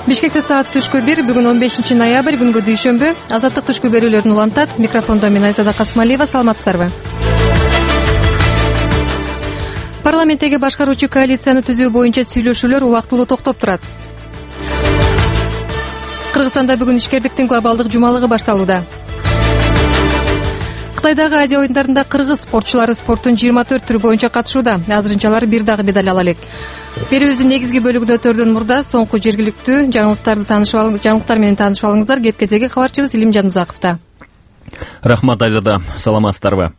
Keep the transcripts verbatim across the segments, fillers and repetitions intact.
Бишкекте саат түшкү бир, бүгүн он бешинчи ноябрь, күнгө дүйшөмбү. Азаттык түшкү берүүлөрүн улантат. Микрофондо мен Айзада Касмалиева. Саламатсыздарбы? Парламенттеги башкаруучу коалицияны түзүү боюнча сүйлөшүүлөр убактылуу токтоп турат. Кыргызстанда бүгүн ишкердиктин глобалдык жумалыгы башталууда. Кытайдагы Азия оюндарында кыргыз спортчулары спорттун жыйырма төрт түрү боюнча катышууда. Азырынча алар бир дагы медаль ала элек. Берүүбүздүн негизги бөлүгүндө өтөрдөн мурда соңку жергиликтүү жаңылыктарды таанышып алыңыз, жаңылыктар менен таанышып алыңыздар. Кеп кезеги кабарчыбыз Илим Жанузаковдо. Рахмат Айзада, саламатсыздарбы?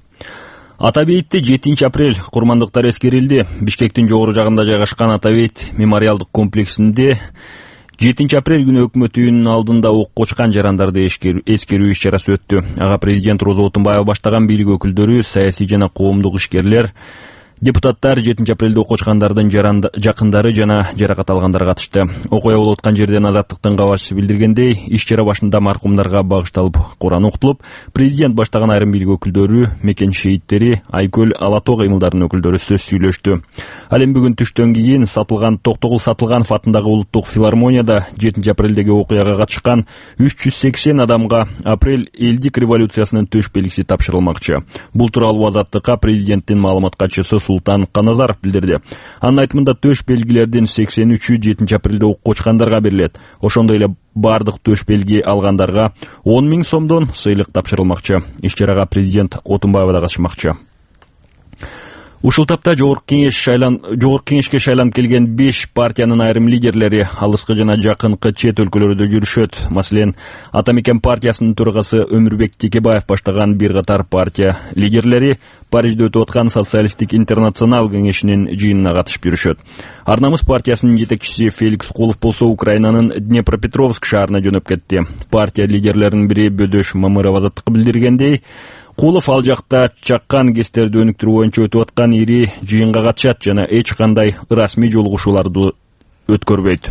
Атабейитте жетинчи апрель курмандыктар эскерилди. Бишкектин жогору жагында жайгашкан Атабейит мемориалдык комплексинде жетинчи апрель күнү өкмөт үйүнүн алдында ок кочкан жарандарды эскерүү иш-чарасы өттү. Ага президент Роза Отунбаева баштаган бийлик өкүлдөрү, саясий жана коомдук ишкерлер, депутаттар, жетинчи апрелде ок кочкандардын жакындары жана жаракат алгандар катышты. Окуя болуп аткан жерден Азаттыктын кабарчысы билдиргендей, иш-чара башында маркумдарга багышталып Куран окутулуп, президент баштаган айрым бийлик өкүлдөрү, мекен шейиттери, Айкөл, Ала Тоо кыймылдарынын өкүлдөрү сөз сүйлөштү. Ал эми бүгүн түштөн кийин сатылган Токтогул Сатылганов атындагы улуттук филармонияда жетинчи апрелдеги окуяга катышкан үч жүз сексен адамга апрель элдик революциясынын төш белгиси тапшырылмакчы. Бул тууралуу Азаттыкка президенттин маалымат катчысы Султан Каназаров билдирди. Анын айтымында төш белгилердин сексен үчү жетинчи апрелде ок кочкандарга берилет. Ошондой эле бардык төш белги алгандарга он миң сомдон сыйлык тапшырылмакчы. Иш-чарага президент Отунбаева да катышмакчы. Ушул тапта жогорку кеңеш шайлан жогорку кеңешке шайланып келген беш партиянын айрым лидерлери алыскы жана жакынкы чет өлкөлөрдө жүрүшөт. Маселен, Ата Мекен партиясынын төрагасы Өмүрбек Текебаев баштаган бир катар партия лидерлери Парижде өтүп аткан социалисттик интернационал кеңешинин жыйынына катышып жүрүшөт. Ар намыс партиясынын жетекчиси Феликс Кулов болсо Украинанын Днепропетровск шаарына жөнөп кетти. Партия лидерлеринин бири Бөдөш Мамыров Азаттыкка билдиргендей, Кулов ал жакта чаккан кестерди өнүктүрүү боюнча өтүп аткан ири жыйынга катышат жана эч кандай расмий жолугушууларды өткөрбөйт.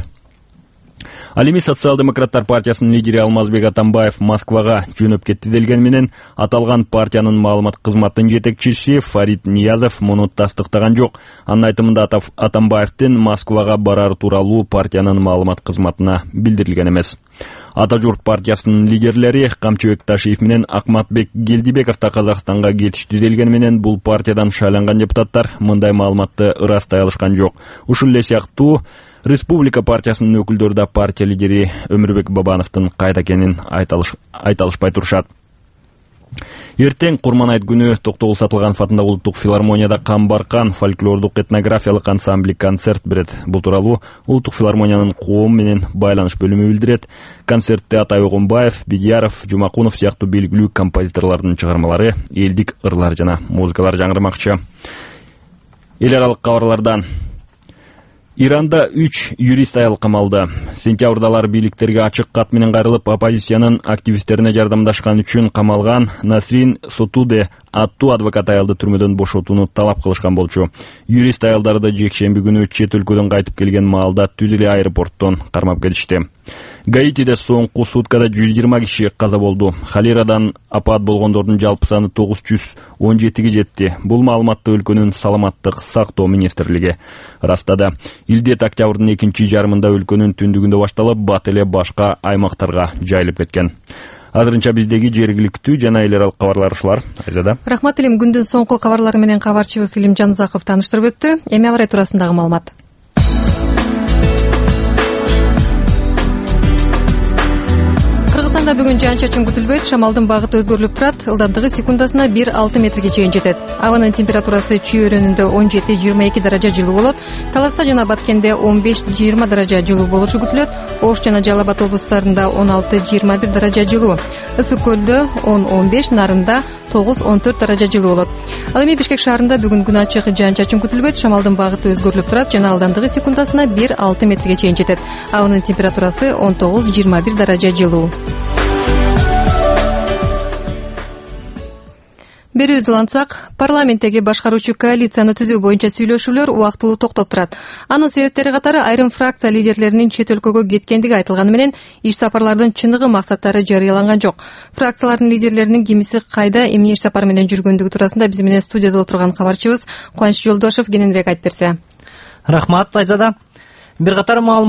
Ал эми Социал-демократтар партиясынын лидери Алмазбек Атамбаев Москвага жөнөп кетти делген менен аталган партиянын маалымат кызматынын жетекчиси Фарид Ниязов муну тастыктаган жок. Анын айтымында Атамбаевдин Москвага барары тууралуу партиянын маалымат кызматына билдирилген эмес. Ата журт партиясынын лидерлери Камчыбек Ташиев менен Акматбек Гелдибеков да Казакстанга кетиштүү делген менен бул партиядан шайланган депутаттар мындай маалыматты ырастай алышкан жок. Ушул эле сыяктуу Республика партиясынын өкүлдөрү да партия лидери Өмүрбек Бабановдун кайда экенин айта алышпай турушат. Эртең Курман айт күнү Токтогул Сатылганов атындагы улуттук филармонияда Камбаркан фольклордук этнографиялык ансамбли концерт берет. Бул тууралуу улуттук филармониянын коом менен байланыш бөлүмү билдирет. Концертте Атай Огунбаев, Бидияров, Жумакунов сыяктуу белгилүү композиторлордун чыгармалары, элдик ырлар жана музыкалар жаңырмакчы. Эл аралык кабарлардан Иранда үч юрист аял камалды. Сентябрда алар бийликтерге ачык кат менен кайрылып, оппозициянын активисттерине жардамдашкан үчүн камалган Насрин Сотуде аттуу адвокат аялды түрмөдөн бошотууну талап кылышкан болчу. Юрист аялдарды жекшемби күнү чет өлкөдөн кайтып келген маалда түз эле аэропорттон кармап кетишти. Гаитиде соңку суткада жүз жыйырма киши каза болду. Халирадан апат болгондордун жалпы саны тогуз жүз он жетиге жетти. Бул маалыматты өлкөнүн саламаттык сактоо министрлиги ырастады. Илдет октябрдын экинчи жарымында өлкөнүн түндүгүндө башталып, бат эле башка аймактарга жайылып кеткен. Азырынча биздеги жергиликтүү жана эл аралык кабарлар ушулар. Айзада. Рахмат Илим, күндүн соңку кабарлары менен кабарчыбыз Илим Жанузаков тааныштырып өттү. Эми абарай туурасындагы маалымат. Кыргызстанда бүгүн жаан-чачын күтүлбөйт, шамалдын багыты өзгөрүлүп турат, ылдамдыгы секундасына бир алты метрге чейин жетет. Абанын температурасы Чүй өрөөнүндө он жети жыйырма эки даража жылуу болот, Таласта жана Баткенде он беш жыйырма даража жылуу болушу күтүлөт, Ош жана Жалал Абад облустарында он алты жыйырма бир даража жылуу, Ысык көлдө он он беш, Нарында тогуз он төрт даража жылуу болот. Ал эми Бишкек шаарында бүгүн күн ачык, жаан-чачын күтүлбөйт, шамалдын багыты өзгөрүлүп турат жана ылдамдыгы секундасына бир алты метрге чейин жетет. Абанын температурасы он тогуз жыйырма бир даража жылуу. Берүүбүздү улантсак, парламенттеги башкаруучу коалицияны түзүү боюнча сүйлөшүүлөр убактылуу токтоп турат. Анын себептери катары айрым фракция лидерлеринин чет өлкөгө кеткендиги айтылганы менен иш сапарлардын чыныгы максаттары жарыяланган жок. Фракциялардын лидерлеринин кимиси кайда, эмне иш сапар менен жүргөндүгү туурасында биз менен студияда отурган кабарчыбыз Кубаныч Жолдошов кененирээк айтып берсе. Рахмат Айзада. Бир катар маалымат